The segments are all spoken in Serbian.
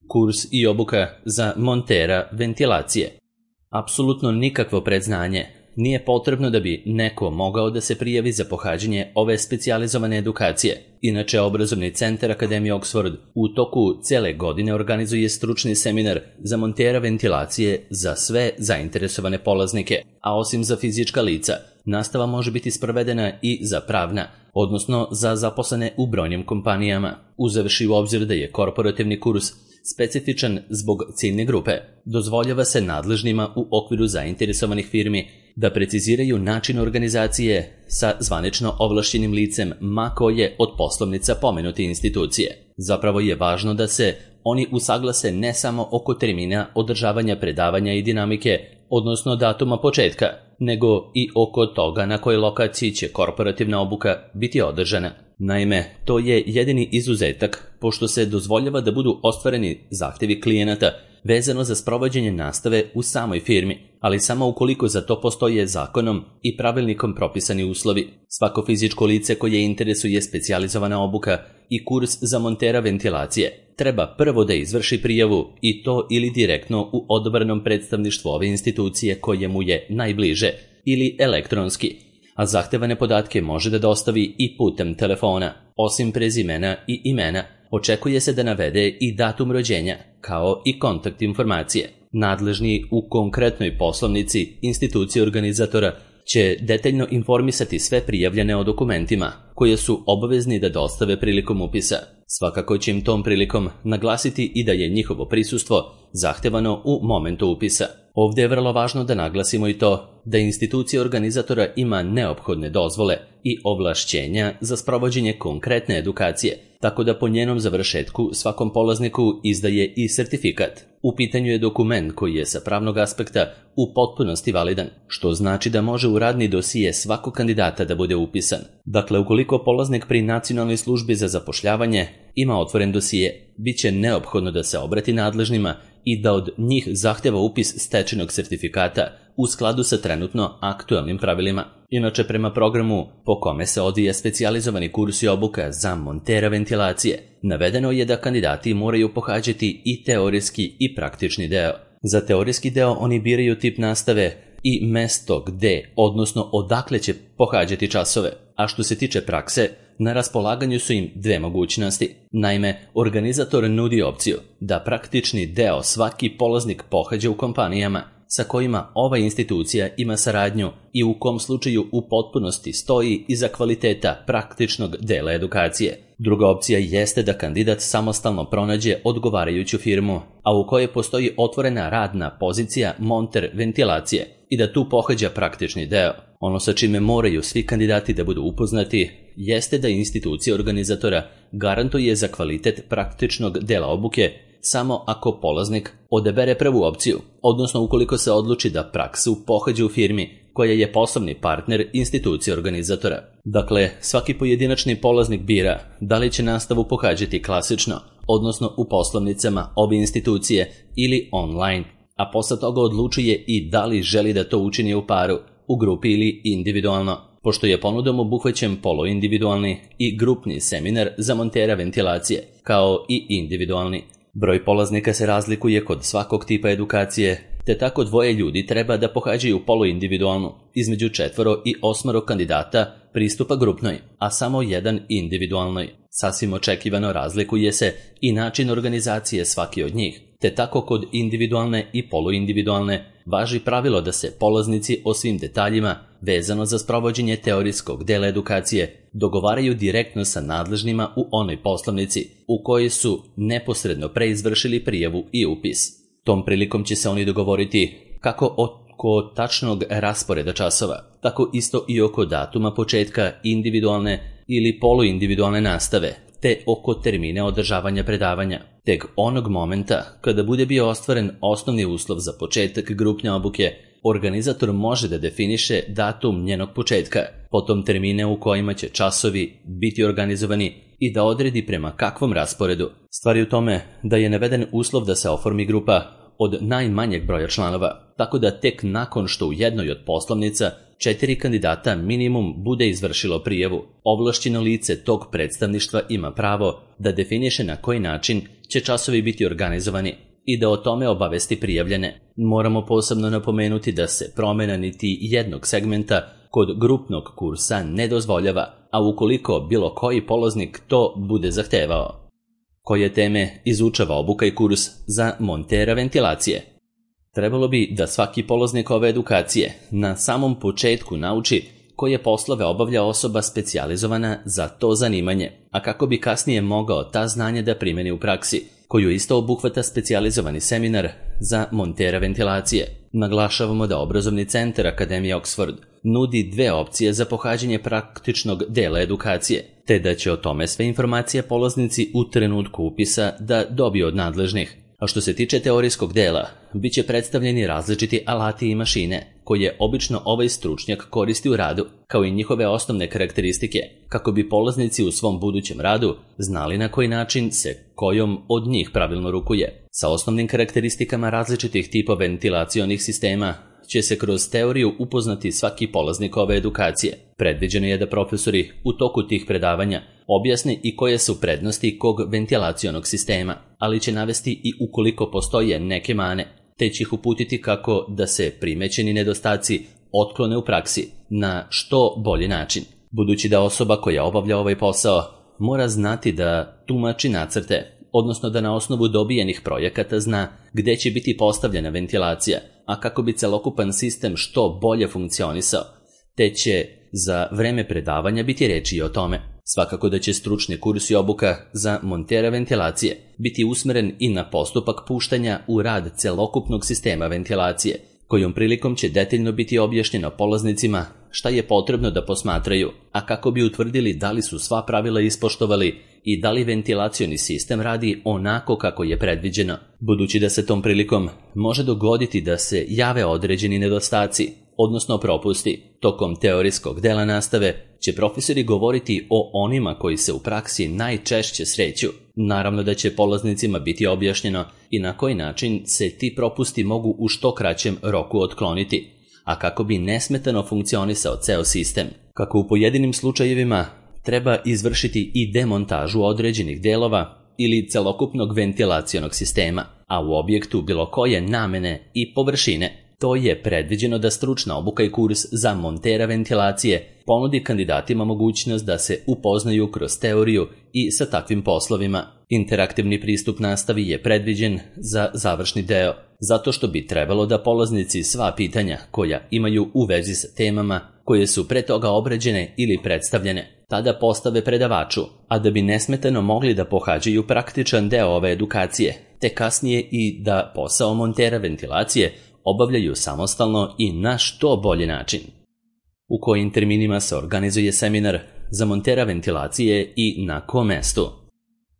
Kurs i obuka za montera ventilacije. Apsolutno nikakvo predznanje nije potrebno da bi neko mogao da se prijavi za pohađanje ove specijalizovane edukacije. Inače, Obrazovni centar Akademije Oxford u toku cele godine organizuje stručni seminar za montera ventilacije za sve zainteresovane polaznike, a osim za fizička lica, nastava može biti sprovedena i za pravna, odnosno za zaposlene u brojnim kompanijama, uzevši u obzir da je korporativni kurs specifičan zbog ciljne grupe. Dozvoljava se nadležnima u okviru zainteresovanih firmi da preciziraju način organizacije sa zvanično ovlašćenim licem ma koje od poslovnica pomenute institucije. Zapravo je važno da se oni usaglase ne samo oko termina održavanja predavanja i dinamike, odnosno datuma početka, nego i oko toga na kojoj lokaciji će korporativna obuka biti održana. Naime, to je jedini izuzetak, pošto se dozvoljava da budu ostvareni zahtevi klijenata vezano za sprovođenje nastave u samoj firmi, ali samo ukoliko za to postoje zakonom i pravilnikom propisani uslovi. Svako fizičko lice koje interesuje specijalizovana obuka i kurs za montera ventilacije treba prvo da izvrši prijavu, i to ili direktno u odabranom predstavništvu ove institucije koje mu je najbliže, ili elektronski, a zahtevane podatke može da dostavi i putem telefona. Osim prezimena i imena, očekuje se da navede i datum rođenja, kao i kontakt informacije. Nadležni u konkretnoj poslovnici institucije organizatora će detaljno informisati sve prijavljene o dokumentima koje su obavezni da dostave prilikom upisa. Svakako će im tom prilikom naglasiti i da je njihovo prisustvo zahtevano u momentu upisa. Ovdje je vrlo važno da naglasimo i to da institucija organizatora ima neophodne dozvole i ovlašćenja za sprovođenje konkretne edukacije, tako da po njenom završetku svakom polazniku izdaje i sertifikat. U pitanju je dokument koji je sa pravnog aspekta u potpunosti validan, što znači da može u radni dosije svakog kandidata da bude upisan. Dakle, ukoliko polaznik pri Nacionalnoj službi za zapošljavanje ima otvoren dosije, bit će neophodno da se obrati nadležnima i da od njih zahteva upis stečenog sertifikata u skladu sa trenutno aktualnim pravilima. Inače, prema programu po kome se odvija specijalizovani kurs i obuka za montera ventilacije, navedeno je da kandidati moraju pohađati i teorijski i praktični deo. Za teorijski deo oni biraju tip nastave i mesto gde, odnosno odakle će pohađati časove, a što se tiče prakse, na raspolaganju su im dve mogućnosti. Naime, organizator nudi opciju da praktični deo svaki polaznik pohađa u kompanijama sa kojima ova institucija ima saradnju i u kom slučaju u potpunosti stoji iza kvaliteta praktičnog dela edukacije. Druga opcija jeste da kandidat samostalno pronađe odgovarajuću firmu, a u kojoj postoji otvorena radna pozicija monter ventilacije i da tu pohađa praktični deo. Ono sa čime moraju svi kandidati da budu upoznati jeste da institucija organizatora garantuje za kvalitet praktičnog dela obuke samo ako polaznik odabere prvu opciju, odnosno ukoliko se odluči da praksu pohađa u firmi koja je poslovni partner institucije organizatora. Dakle, svaki pojedinačni polaznik bira da li će nastavu pohađati klasično, odnosno u poslovnicama ove institucije ili online, a posle toga odlučuje i da li želi da to učini u paru, u grupi ili individualno, pošto je ponudom obuhvaćen poluindividualni i grupni seminar za montera ventilacije, kao i individualni. Broj polaznika se razlikuje kod svakog tipa edukacije, te tako dvoje ljudi treba da pohađaju poluindividualnu, između 4 i 8 kandidata pristupa grupnoj, a samo jedan individualnoj. Sasvim očekivano razlikuje se i način organizacije svaki od njih, te tako kod individualne i poluindividualne važi pravilo da se polaznici o svim detaljima vezano za sprovođenje teorijskog dela edukacije dogovaraju direktno sa nadležnima u onoj poslovnici u kojoj su neposredno preizvršili prijavu i upis. Tom prilikom će se oni dogovoriti kako oko tačnog rasporeda časova, tako isto i oko datuma početka individualne ili poluindividualne nastave, te oko termine održavanja predavanja. Tek onog momenta kada bude bio ostvaren osnovni uslov za početak grupne obuke, organizator može da definiše datum njenog početka, potom termine u kojima će časovi biti organizovani i da odredi prema kakvom rasporedu. Stvar je u tome da je naveden uslov da se oformi grupa od najmanjeg broja članova, tako da tek nakon što u jednoj od poslovnica 4 kandidata minimum bude izvršilo prijavu, ovlašćeno lice tog predstavništva ima pravo da definiše na koji način će časovi biti organizovani i da o tome obavesti prijavljene. Moramo posebno napomenuti da se promjena niti jednog segmenta kod grupnog kursa ne dozvoljava, a ukoliko bilo koji polaznik to bude zahtevao. Koje teme izučava obuka i kurs za montera ventilacije? Trebalo bi da svaki polaznik ove edukacije na samom početku nauči koje poslove obavlja osoba specijalizovana za to zanimanje, a kako bi kasnije mogao ta znanja da primeni u praksi, koju isto obuhvata specijalizovani seminar za montera ventilacije. Naglašavamo da obrazovni centar Akademije Oxford nudi 2 opcije za pohađanje praktičnog dela edukacije, te da će o tome sve informacije polaznici u trenutku upisa da dobiju od nadležnih. A što se tiče teorijskog dela, bit će predstavljeni različiti alati i mašine, koje obično ovaj stručnjak koristi u radu, kao i njihove osnovne karakteristike, kako bi polaznici u svom budućem radu znali na koji način se kojom od njih pravilno rukuje. Sa osnovnim karakteristikama različitih tipova ventilacionih sistema će se kroz teoriju upoznati svaki polaznik ove edukacije. Predviđeno je da profesori u toku tih predavanja objasni i koje su prednosti kog ventilacionog sistema, ali će navesti i ukoliko postoje neke mane, te će ih uputiti kako da se primećeni nedostaci otklone u praksi na što bolji način. Budući da osoba koja obavlja ovaj posao mora znati da tumači nacrte, odnosno da na osnovu dobijenih projekata zna gde će biti postavljena ventilacija, a kako bi celokupan sistem što bolje funkcionisao, te će za vreme predavanja biti reči i o tome. Svakako da će stručni kurs i obuka za montera ventilacije biti usmeren i na postupak puštanja u rad celokupnog sistema ventilacije, kojom prilikom će detaljno biti objašnjeno polaznicima šta je potrebno da posmatraju, a kako bi utvrdili da li su sva pravila ispoštovali i da li ventilacioni sistem radi onako kako je predviđeno. Budući da se tom prilikom može dogoditi da se jave određeni nedostaci, odnosno propusti, tokom teorijskog dela nastave će profesori govoriti o onima koji se u praksi najčešće sreću. Naravno da će polaznicima biti objašnjeno i na koji način se ti propusti mogu u što kraćem roku otkloniti, a kako bi nesmetano funkcionisao ceo sistem. Kako u pojedinim slučajevima treba izvršiti i demontažu određenih delova ili celokupnog ventilacionog sistema, a u objektu bilo koje namene i površine, to je predviđeno da stručna obuka i kurs za montera ventilacije ponudi kandidatima mogućnost da se upoznaju kroz teoriju i sa takvim poslovima. Interaktivni pristup nastavi je predviđen za završni deo, zato što bi trebalo da polaznici sva pitanja koja imaju u vezi sa temama koje su pre toga obrađene ili predstavljene, tada postave predavaču, a da bi nesmetano mogli da pohađaju praktičan deo ove edukacije, te kasnije i da posao montera ventilacije obavljaju samostalno i na što bolji način. U kojim terminima se organizuje seminar za montera ventilacije i na kom mestu?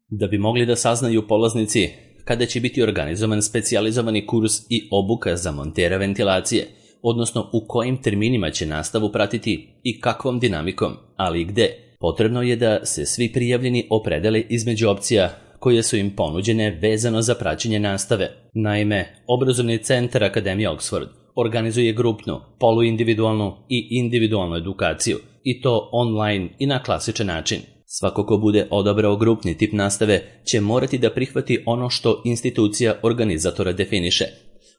Da bi mogli da saznaju polaznici kada će biti organizovan specijalizovani kurs i obuka za montera ventilacije, odnosno u kojim terminima će nastavu pratiti i kakvom dinamikom, ali i gde, potrebno je da se svi prijavljeni opredele između opcija koje su im ponuđene vezano za praćenje nastave. Naime, obrazovni centar Akademije Oxford organizuje grupnu, poluindividualnu i individualnu edukaciju, i to online i na klasičan način. Svako ko bude odabrao grupni tip nastave će morati da prihvati ono što institucija organizatora definiše,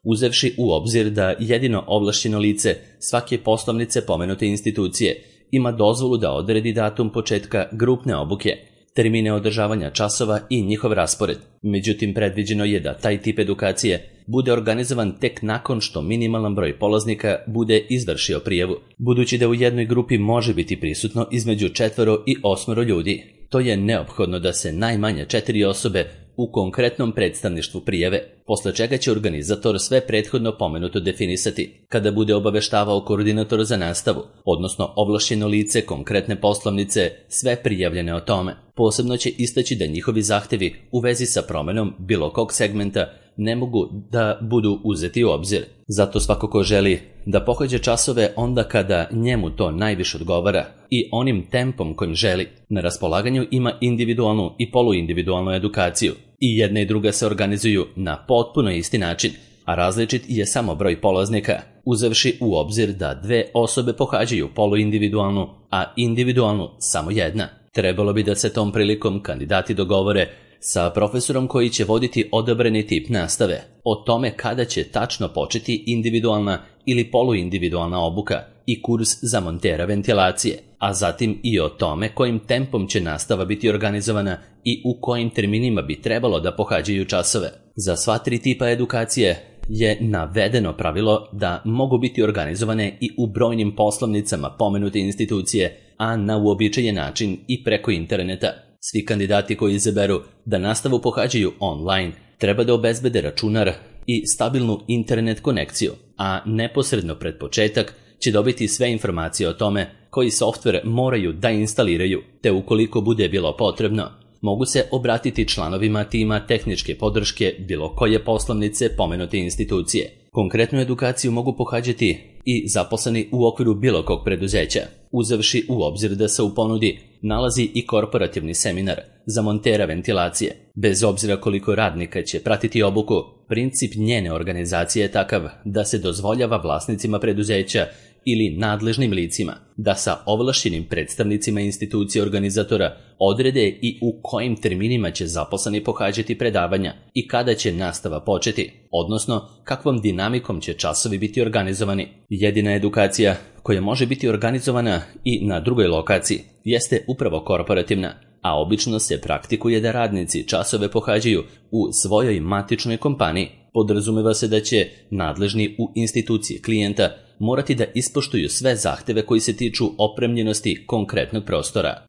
uzevši u obzir da jedino ovlašćeno lice svake poslovnice pomenute institucije ima dozvolu da odredi datum početka grupne obuke, termine održavanja časova i njihov raspored. Međutim, predviđeno je da taj tip edukacije bude organizovan tek nakon što minimalan broj polaznika bude izvršio prijavu, budući da u jednoj grupi može biti prisutno između 4 i 8 ljudi. To je neophodno da se najmanje 4 osobe u konkretnom predstavništvu prijave, posle čega će organizator sve prethodno pomenuto definisati kada bude obaveštavao koordinator za nastavu, odnosno ovlašćeno lice konkretne poslovnice, sve prijavljene o tome. Posebno će istaći da njihovi zahtevi u vezi sa promenom bilo kog segmenta ne mogu da budu uzeti u obzir. Zato svako ko želi da pohađa časove onda kada njemu to najviše odgovara i onim tempom kojim želi, na raspolaganju ima individualnu i poluindividualnu edukaciju. I jedna i druga se organizuju na potpuno isti način, a različit je samo broj polaznika, uzevši u obzir da 2 osobe pohađaju poluindividualnu, a individualnu samo jedna. Trebalo bi da se tom prilikom kandidati dogovore sa profesorom koji će voditi odabrani tip nastave, o tome kada će tačno početi individualna ili poluindividualna obuka i kurs za montera ventilacije, a zatim i o tome kojim tempom će nastava biti organizovana i u kojim terminima bi trebalo da pohađaju časove. Za sva 3 tipa edukacije je navedeno pravilo da mogu biti organizovane i u brojnim poslovnicama pomenute institucije, a na uobičajen način i preko interneta. Svi kandidati koji izaberu da nastavu pohađaju online treba da obezbede računar i stabilnu internet konekciju, a neposredno pred početak će dobiti sve informacije o tome koji softver moraju da instaliraju, te ukoliko bude bilo potrebno, mogu se obratiti članovima tima tehničke podrške bilo koje poslovnice pomenute institucije. Konkretnu edukaciju mogu pohađati i zaposleni u okviru bilo kog preduzeća, uzevši u obzir da se u ponudi nalazi i korporativni seminar za montera ventilacije. Bez obzira koliko radnika će pratiti obuku, princip njene organizacije je takav da se dozvoljava vlasnicima preduzeća ili nadležnim licima da sa ovlašćenim predstavnicima institucije organizatora odrede i u kojim terminima će zaposleni pohađati predavanja i kada će nastava početi, odnosno kakvom dinamikom će časovi biti organizovani. Jedina edukacija koja može biti organizovana i na drugoj lokaciji jeste upravo korporativna, a obično se praktikuje da radnici časove pohađaju u svojoj matičnoj kompaniji. Podrazumeva se da će nadležni u instituciji klijenta morati da ispoštuju sve zahteve koji se tiču opremljenosti konkretnog prostora.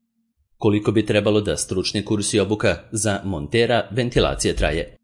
Koliko bi trebalo da stručni kurs i obuka za montera ventilacije traje?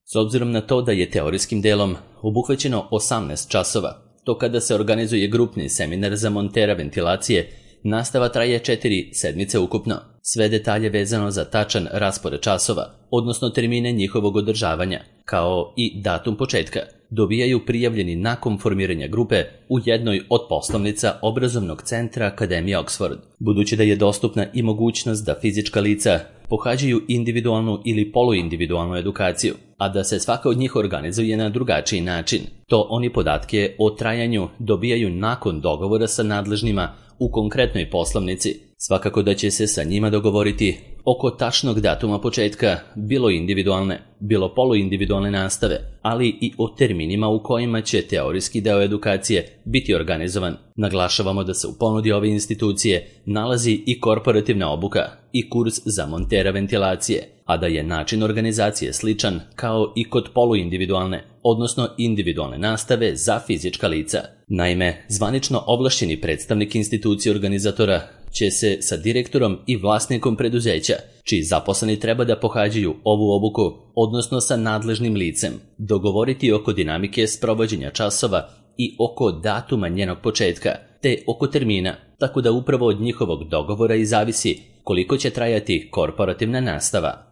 S obzirom na to da je teorijskim delom obuhvaćeno 18 časova, to kada se organizuje grupni seminar za montera ventilacije, nastava traje 4 sedmice ukupno. Sve detalje vezano za tačan raspored časova, odnosno termine njihovog održavanja, kao i datum početka, dobijaju prijavljeni nakon formiranja grupe u jednoj od poslovnica obrazovnog centra Akademije Oxford. Budući da je dostupna i mogućnost da fizička lica pohađaju individualnu ili poluindividualnu edukaciju, a da se svaka od njih organizuje na drugačiji način, to oni podatke o trajanju dobijaju nakon dogovora sa nadležnima u konkretnoj poslovnici. Svakako da će se sa njima dogovoriti oko tačnog datuma početka bilo individualne, bilo poluindividualne nastave, ali i o terminima u kojima će teorijski deo edukacije biti organizovan. Naglašavamo da se u ponudi ove institucije nalazi i korporativna obuka i kurs za montera ventilacije, a da je način organizacije sličan kao i kod poluindividualne, odnosno individualne nastave za fizička lica. Naime, zvanično ovlašćeni predstavnik institucije organizatora će se sa direktorom i vlasnikom preduzeća, čiji zaposleni treba da pohađaju ovu obuku, odnosno sa nadležnim licem, dogovoriti oko dinamike sprovođenja časova i oko datuma njenog početka, te oko termina, tako da upravo od njihovog dogovora i zavisi koliko će trajati korporativna nastava.